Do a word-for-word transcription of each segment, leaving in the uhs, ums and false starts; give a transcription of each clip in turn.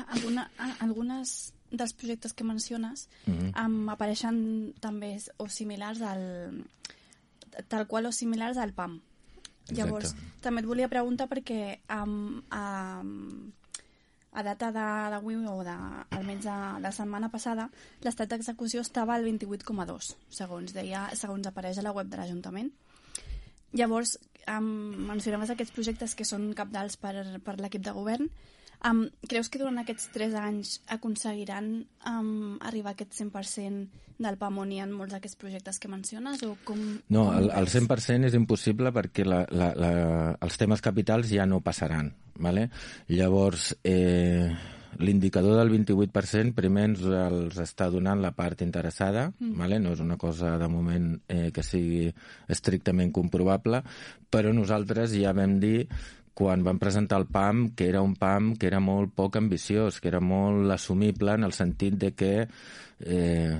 clar, alguna, algunes dels projectes que menciones Mm-hmm. um, apareixen també o similars al... tal qual o similars al P A M. Exacte. Llavors, també et volia preguntar perquè um, um, a data d'avui o de, almenys de, de la setmana passada, l'estat d'execució estava al vint-i-vuit coma dos, segons deia, segons apareix a la web de l'Ajuntament. Llavors, um, mencionaves aquests projectes que són cabdals per, per l'equip de govern. Um, creus que durant aquests tres anys aconseguiran um, arribar a aquest cent per cent del P A M on hi ha molts d'aquests projectes que menciones? O com, no, com el, el cent per cent és impossible perquè la, la, la, els temes capitals ja no passaran. Vale? Llavors, eh, l'indicador del vint-i-vuit per cent primer ens els està donant la part interessada, mm. vale? No és una cosa de moment eh, que sigui estrictament comprovable, però nosaltres ja vam dir quan vam presentar el P A M que era un P A M que era molt poc ambiciós, que era molt assumible en el sentit de que, eh,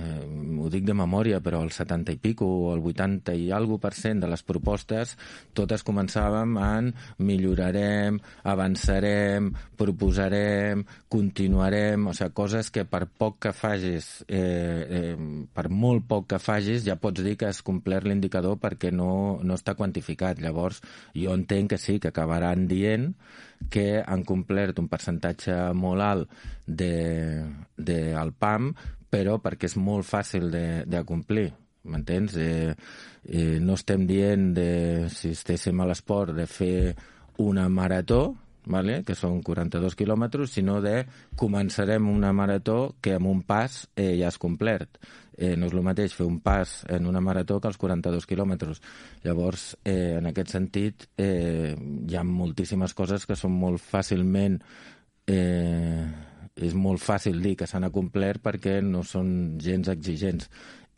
ho dic de memòria, però el setanta i pico o el vuitanta i algo per cent de les propostes totes començàvem en millorarem, avançarem, proposarem, continuarem, o sigui, coses que per poc que facis, eh, eh, per molt poc que facis, ja pots dir que has complert l'indicador perquè no, no està quantificat. Llavors, jo entenc que sí, que acabaran dient que han complert un percentatge molt alt de, de el P A M, però perquè és molt fàcil de, de complir, m'entens? Eh, eh, no estem dient, de, si estéssim a l'esport, de fer una marató, vale? Que són quaranta-dos quilòmetres, sinó de començarem una marató que amb un pas eh, ja has complert. Eh, no és el mateix fer un pas en una marató que els quaranta-dos quilòmetres. Llavors, eh, en aquest sentit, eh, hi ha moltíssimes coses que són molt fàcilment... Eh, és molt fàcil dir que s'han acomplert perquè no són gens exigents.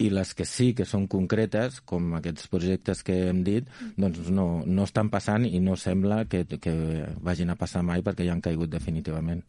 I les que sí que són concretes, com aquests projectes que hem dit, doncs no, no estan passant i no sembla que, que vagin a passar mai perquè ja han caigut definitivament.